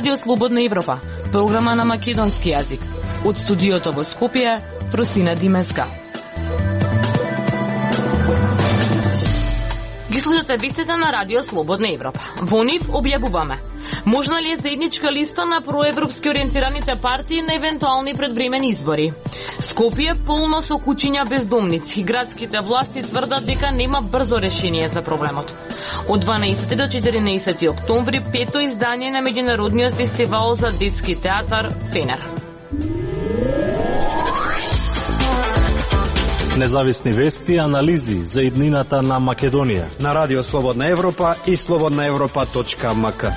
Радио Слободна Европа, програма на македонски јазик. Од студиото во Скопје, Просина Димеска. Ги слушате вестите на Радио Слободна Европа. Во нив објавуваме: можна ли е заедничка листа на проевропски ориентираните партии на евентуални предвремени избори? Скопје полно со куќиња бездомници. Градските власти тврдат дека нема брзо решение за проблемот. Од 12 до 14 октомври, пето издание на меѓународниот фестивал за детски театар Фенер. Независни вести и анализи за иднината на Македонија на Радио Слободна Европа и slobodnaevropa.mk.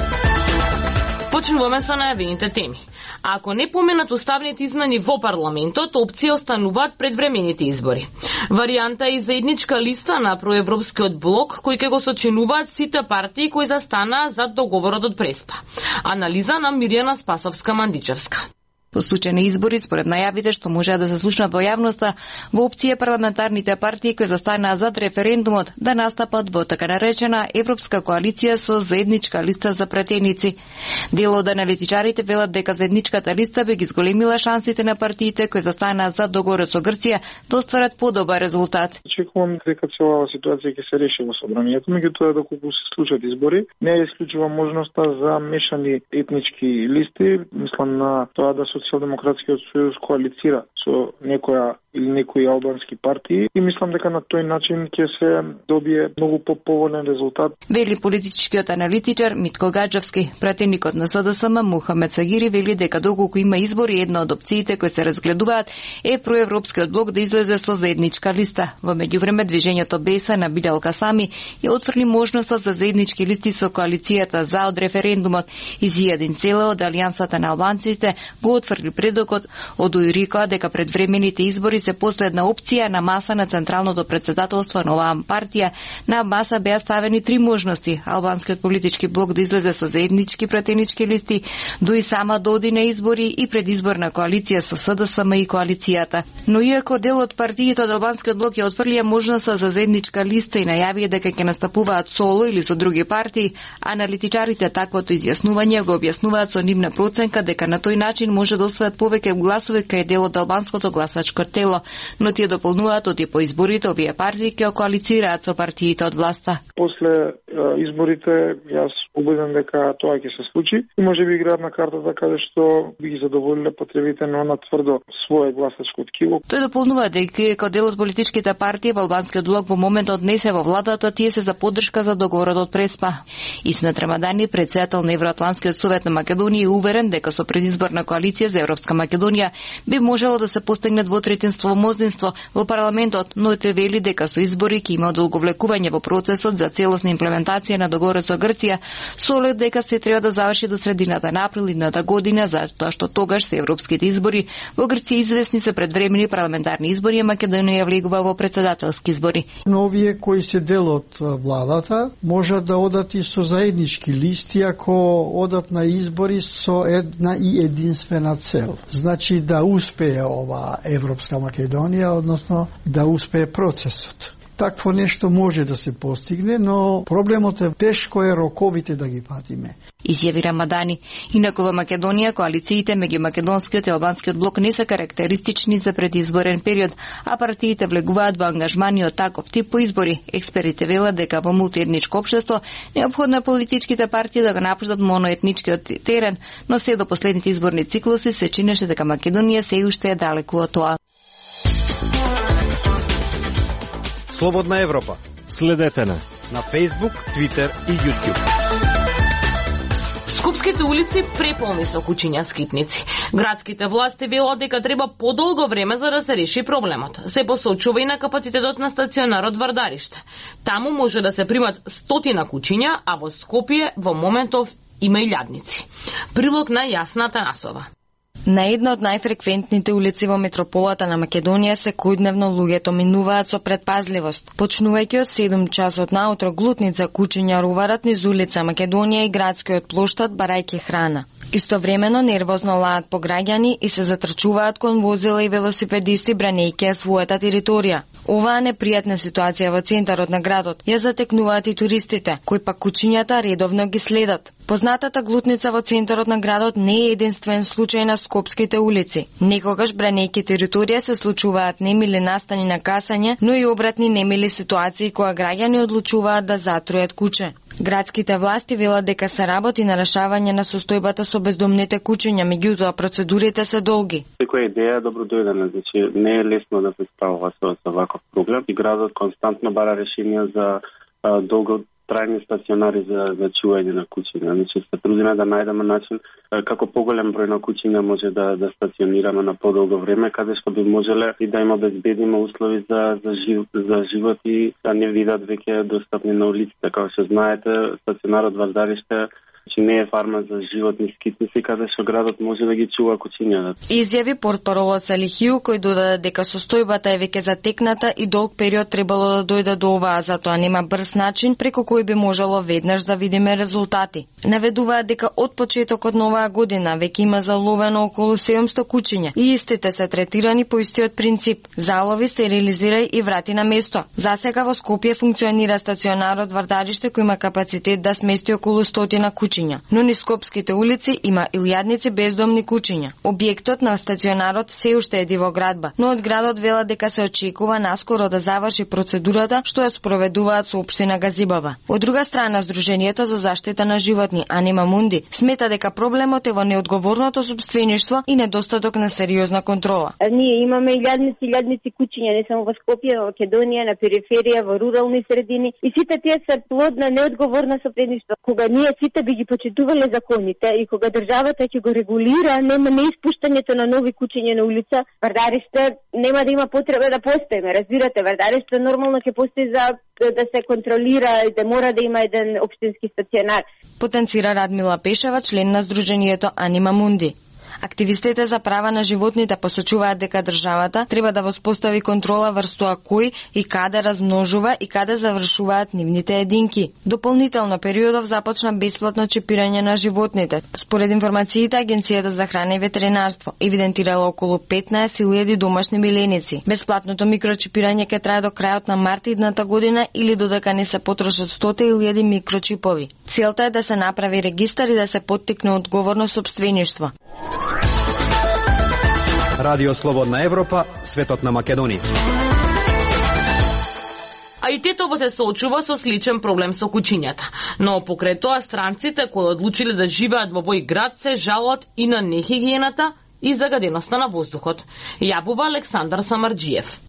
Почнуваме со најавените теми. Ако не поменат уставните измени во парламентот, опција остануваат предвремените избори. Варијанта е и заедничка листа на проевропскиот блок, кој ќе го сочинуваат сите партии кои застанаа зад договорот од Преспа. Анализа на Мирјана Спасовска-Мандичевска. По случај на избори, според најавите што можеа да се слушнат во јавноста, во опција парламентарните партии кои застанаа зад референдумот да настапат во така наречена Европска коалиција со заедничка листа за пратеници. Дел од аналитичарите велат дека заедничката листа би ги зголемила шансите на партиите кои застанаа зад договорот со Грција да остварат подобар резултат. Очекувам дека целава ситуација ќе се реши во собранието, меѓутоа доколку се случат избори, не е исклучува можноста за мешани етнички листи. Мислам на тоа да Социјалдемократскиот сојуз коалицира со некоја или некои албански партии и мислам дека на тој начин ќе се добие многу поповолен резултат. Вели политичкиот аналитичар Митко Гаджевски. Пратеникот на СДСМ Мухамед Сагири вели дека доколку има избори, една од опциите кои се разгледуваат е проевропскиот блок да излезе со заедничка листа. Во меѓувреме движењето БЕСА на Билјал Касами ја отфрли можноста за заеднички листи со коалицијата за од референдумот. Изијадин Села од Алијансата на албанците го отфрли предокот од УИРИКО дека предвремените избори се последна опција на маса на Централното претседателство на оваа партија. На маса беа ставени три можности: албанскиот политички блок да излезе со заеднички пратенички листи, до и сама да оди на избори и предизборна коалиција со СДСМ и коалицијата. Но иако дел од партиите од албанскиот блок ја отфрлија можноста за заедничка листа и најавија дека ќе настапуваат соло или со други партии, аналитичарите таквото изјаснување го објаснуваат со нивна проценка дека на тој начин може да освојат повеќе гласови кај дел од албанското гласачко тело, но тие дополнуваат оти по изборите овие партии ќе коалицираат со партиите од власта. После изборите јас убеден дека тоа ќе се случи и може би играат на картата каде што би ги задоволиле потребите на она тврдо свое гласачко ткиво. Тој дополнува дека како дел од политичките партии во албанскиот блок во моментот не се во владата, тие се за поддршка за договорот од Преспа. Исмет Рамадани, председател на Евроатлантскиот совет на Македонија, е уверен дека со предизборна коалиција за Европска Македонија би можело да се постигне двотретинство мнозинство во парламентот, но тој вели дека со избори ќе има одолговлекување во процесот за целосна имплементација на договорот со Грција, со оглед дека се треба да заврши до средината на април идната година, затоа што тогаш се европските избори во Грција известни се предвремени парламентарни избори, и Македонија влегува во председателски избори. Но овие кои се дел од владата можат да одат и со заеднички листи ако одат на избори со една и единствена цел. Значи да успее ова Европска Македонија, односно да успее процесот. Такво нешто може да се постигне, но проблемот е тешко е роковите да ги патиме. Изјави Рамадани. Инаку во Македонија коалициите меѓу македонскиот и албанскиот блок не се карактеристични за предизборен период, а партиите влегуваат во ангажмани од таков тип по избори. Експертите велат дека во мултиетничко општество неопходно е политичките партии да го напуштат моноетничкиот терен, но се до последните изборни циклуси се чинеше дека Македонија се уште е далеку од тоа. Слободна Европа. Следете на Facebook, Twitter и YouTube. Скопските улици преполни со куќиња скитници. Градските власти велат дека треба подолго време за да се реши проблемот. Се посочува и на капацитетот на стационарот Вардариште. Таму може да се примат 100 куќиња, а во Скопје во моментов има илјадници. Прилог на Јасна Танасова. На една од најфреквентните улици во метрополата на Македонија секојдневно луѓето минуваат со предпазливост. Почнувајќи од 7 часот наутро, глутница куќиња руварат низ улица Македонија и градскиот плоштад барајќи храна. Истовремено нервозно лаат по граѓани и се затрчуваат кон возила и велосипедисти бранејќи ја својата територија. Оваа непријатна ситуација во центарот на градот ја затекнуваат и туристите, кои пак кучињата редовно ги следат. Познатата глутница во центарот на градот не е единствен случај на скопските улици. Некогаш бранејќи територија се случуваат немили настани на касање, но и обратни немили ситуации кога граѓани одлучуваат да затрујат куче. Градските власти велат дека се работи на решавање на состојбата со бездомните кучиња, меѓутоа процедурите се долги. Секоја идеја е добродојдена, значи не е лесно да се справува со ваков проблем и градот константно бара решенија за долготрајни стационари за чување на кучиња. Значи се трудиме да најдеме начин како поголем број на кучиња може да стационираме на подолго време, каде што би можеле и да им обезбедиме услови за живот и да не видат веќе достапни на улиците. Како што знаете, стационарот Вардариште не е фарма за животни скитници, каде што градот може да ги чува кучињата. Изјави портпаролот Салихију, кој додаде дека состојбата е веќе затекната и долг период требало да дојде до оваа, затоа нема брз начин преку кој би можело веднаш да видиме резултати. Наведуваат дека од почетокот на оваа година веќе има заловено околу 700 кучиња и истите се третирани по истиот принцип: залови, стерилизирај и врати на место. Засега во Скопје функционира стационарот Вардариште кој има капацитет да смести околу 100 кучиња, но низ скопските улици има илјадници бездомни кучиња. Објектот на стационарот се уште е дивоградба, но од градот велат дека се очекува наскоро да заврши процедурата што ја спроведуваат со општина Газибава. Од друга страна, Сдруженијето за заштита на животни Анима Мунди смета дека проблемот е во неодговорното сопствеништво и недостаток на сериозна контрола. Ние имаме илјадници кучиња не само во Скопје, во Македонија, на периферија, во рурални средини и сите тие се плод на неодговорно сопствеништво. Кога ние сите би ги почитувале законите и кога државата ќе го регулира, нема неиспуштањето на нови кучиња на улица, Вардариште нема да има потреба да постоиме. Разбирате, Вардариште нормално ќе постои за да се контролира и да мора да има еден општински стационар. Потенцира Радмила Пешева, член на Сдруженијето Анима Мунди. Активистите за права на животните посочуваат дека државата треба да воспостави контрола врз тоа кој и каде размножува и каде завршуваат нивните единки. Дополнително периодов започна бесплатно чипирање на животните. Според информациите, Агенцијата за храна и ветеринарство евидентирала околу 15.000 домашни миленици. Бесплатното микрочипирање ќе трае до крајот на март идната година или додека не се потрошат 100.000 микрочипови. Целта е да се направи регистар и да се поттикне одговорно сопствеништво. Радио Слободна Европа, светот на Македонија. А и Тетово се соочува со сличен проблем со кучињата. Но покрај тоа странците кои одлучиле да живеат во овој град се жалат и на нехигиената и загаденоста на воздухот. Јабува Александар Самарџиев.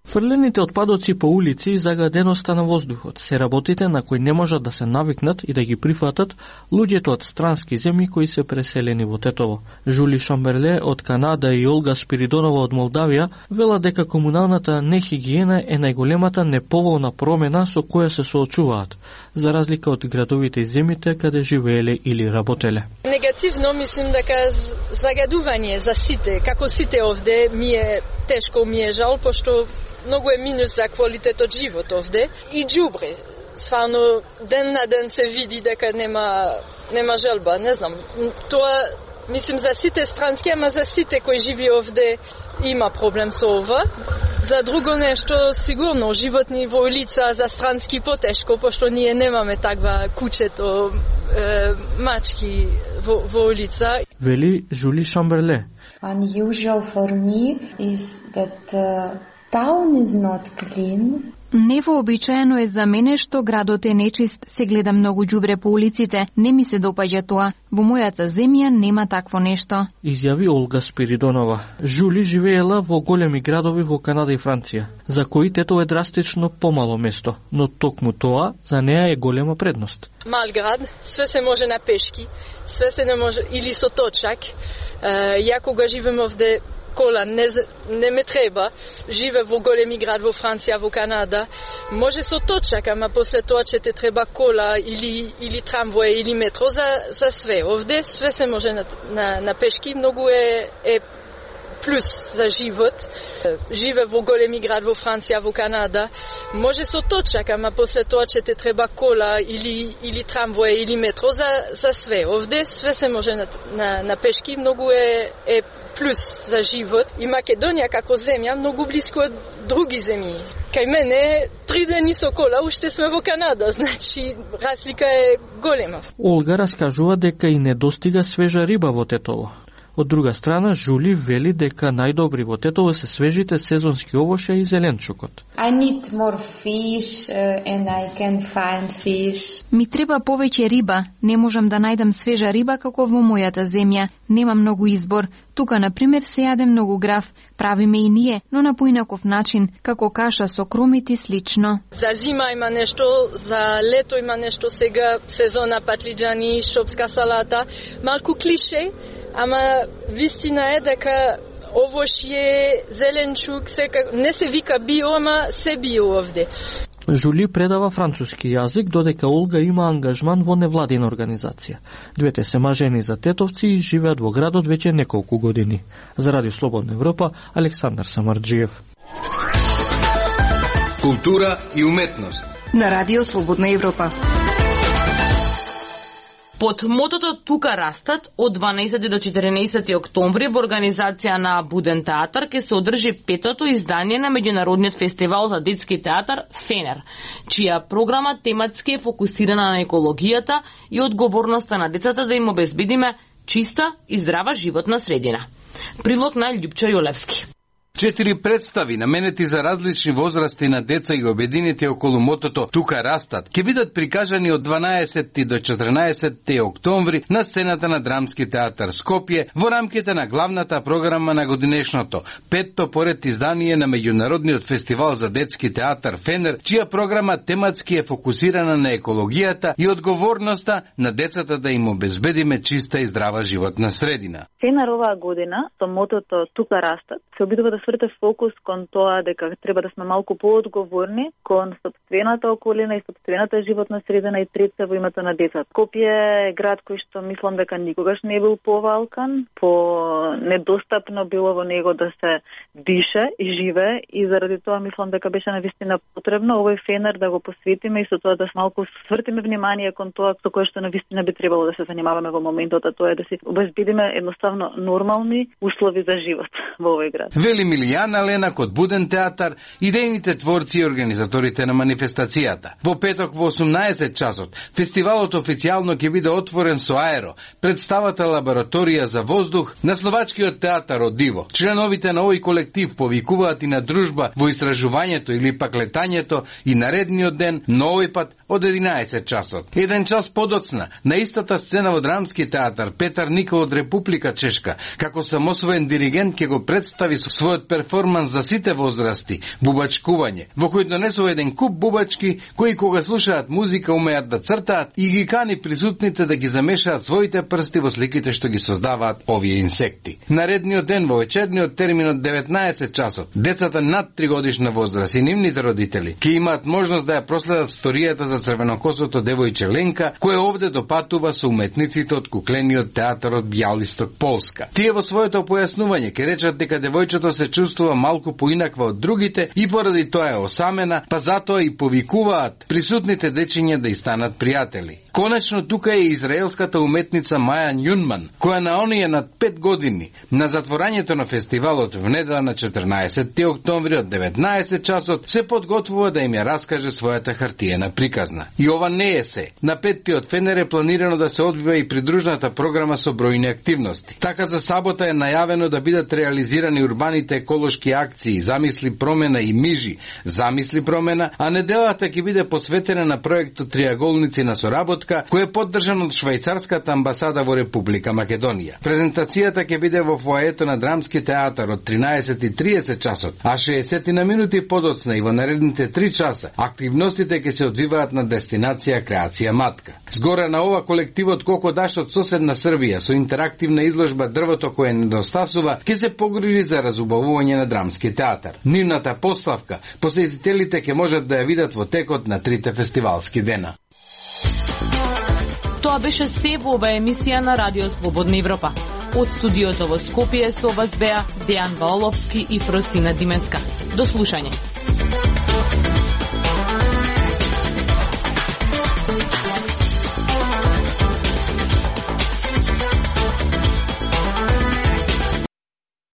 Фрлените отпадоци по улици и загаденоста на воздухот се работите на кои не можат да се навикнат и да ги прифатат луѓето од странски земји кои се преселени во Тетово. Жули Шамберле од Канада и Олга Спиридонова од Молдавија велат дека комуналната нехигиена е најголемата неповолна промена со која се соочуваат, за разлика од градовите и земјите каде живееле или работеле. Негативно мислим дека загадување за сите, како сите овде, ми е тешко, ми е жал, пошто многу е минус за квалитетот живот овде и џубре. Стварно ден на ден се види дека нема желба, не знам. Тоа мислим за сите странски, ама за сите кои живи овде има проблем со ова. За друго нешто сигурно животни во улица за странски потешко, пошто ние немаме таква кучето, мачки во улица. Вели Жули Шамберле. Unusual for me is that town is not clean. Невообичаено е за мене што градот е нечист, се гледа многу џубре по улиците, не ми се допаѓа тоа. Во мојата земја нема такво нешто. Изјави Олга Спиридонова. Жули живеела во големи градови во Канада и Франција, за кои Тетово е драстично помало место, но токму тоа за неа е голема предност. Мал град, све се може на пешки, све се не може или со точак. Ја кога живеам овде кола не ме треба, живе во големи град во Франција, во Канада, може со точак, ама после тоа ќе те треба кола или трамвој или метро за све. Овде све се може на пешки, многу е плюс за живот. Живе во големи град во Франција, во Канада. Може со точак, ама после тоа ќе те треба кола или трамвој или метро за све. Овде све се може на пешки, многу е плюс за живот. И Македонија како земја многу блиско од други земји. Кај мене 3 дени со кола уште сме во Канада, значи разлика е голема. Олга раскажува дека и не достига свежа риба во Тетово. Од друга страна, Жули вели дека најдобри во Тетово се свежите сезонски овошја и зеленчукот. I need more fish and I can find fish. Ми треба повеќе риба, не можам да најдам свежа риба како во мојата земја. Нема многу избор. Тука, например, се јаде многу граф, правиме и ние, но на поинаков начин, како каша со кромит и слично. За зима има нешто, за лето има нешто, сега сезона патлиџани, шопска салата, малку клише, ама вистина е дека овошје, зеленчук, не се вика био, ама се био овде. Жули предава француски јазик, додека Олга има ангажман во невладина организација. Двете се мажени за тетовци и живеат во градот веќе неколку години. За Радио Слободна Европа, Александар Самарџиев. Култура и уметност на Радио Слободна Европа. Под мотото Тука растат, од 12 до 14 октомври во организација на Буден театар ќе се одржи 5-то издание на меѓународниот фестивал за детски театар Фенер, чија програма тематски е фокусирана на екологијата и одговорноста на децата да им обезбедиме чиста и здрава животна средина. Прилог на Љупчо Јолевски. 4 представи наменети за различни возрасти на деца и обединети околу мотото Тука растат ќе бидат прикажани од 12 до 14 октомври на сцената на Драмски театар Скопје во рамките на главната програма на годинешното 5-то поред издание на меѓународниот фестивал за детски театар Фенер, чија програма тематски е фокусирана на екологијата и одговорноста на децата да им обезбедиме чиста и здрава животна средина. Фенер оваа година со мотото Тука растат се обидува да сврте фокус кон тоа дека треба да сме малку поодговорни кон сопствената околина и сопствената животна средина и пред се во името на децата. Скопје е град кој што мислам дека никогаш не бил повалкан, недостапно било во него да се дише и живее и заради тоа мислам дека беше навистина потребно овој Фенер да го посветиме и со тоа да малку свртиме внимание кон тоа со кое што навистина би требало да се занимаваме во моментот, а тоа е да си обезбедиме едноставно нормални услови за живот во овој град. Вели Милијана Ленак од Буден театар, идејните творци и организаторите на манифестацијата. Во петок во 18 часот, фестивалот официјално ќе биде отворен со аеро, представата Лабораторија за воздух на Словачкиот театар од Диво. Членовите на овој колектив повикуваат и на дружба во истражувањето или пак летањето и наредниот ден, но овој пат од 11 часот. Еден час подоцна, на истата сцена во Драмски театар, Петар Никол од Република Чешка, како самосвоен диригент ќе го представи својот перформанс за сите возрасти, бубачкување, во кој донесува еден куп бубачки кои кога слушаат музика умеат да цртаат и ги кани присутните да ги замешаат своите прсти во сликите што ги создаваат овие инсекти. Наредниот ден во вечерниот термин од 19 часот, децата над 3 годишна возраст и нивните родители ќе имаат можност да ја проследат сторијата за црвенокосото девојче Ленка, која овде допатува со уметниците од куклениот театар од Бјалисток, Полска. Тие во своето појаснување ќе речат дека девојчето се чувствува малку поинаква од другите и поради тоа е осамена, па затоа и повикуваат присутните дечиња да и станат пријатели. Конечно тука е израелската уметница Маја Њунман, која на оние над 5 години на затворањето на фестивалот в недела на 14 октомври од 19 часот се подготвува да им ја раскаже својата хартиена приказна. И ова не е се. На 5-тиот Фенер е планирано да се одвива и придружната програма со бројни активности. Така за сабота е најавено да бидат реализирани урбаните еколошки акции, замисли промена и мижи, замисли промена, а неделата ќе биде посветена на проектот Триаголници на соработка, кој е поддржан од швајцарската амбасада во Република Македонија. Презентацијата ќе биде во фоаето на Драмски театар од 13:30 часот, а 60 на минути подоцна и во наредните 3 часа активностите ќе се одвиваат на дестинација Креација Матка. Згоре на ова колективот Кокодаш од соседна Србија со интерактивна изложба Дрвото кое недостасува ќе се погрижи за разубавување на Драмски театар. Нивната поставка посетителите ќе можат да ја видат во текот на 3 фестивалски дена. Тоа беше се во оваа емисија на Радио Слободна Европа. Од студиото во Скопје со вас беа Дејан Ваоловски и Фросина Дименска. До слушање.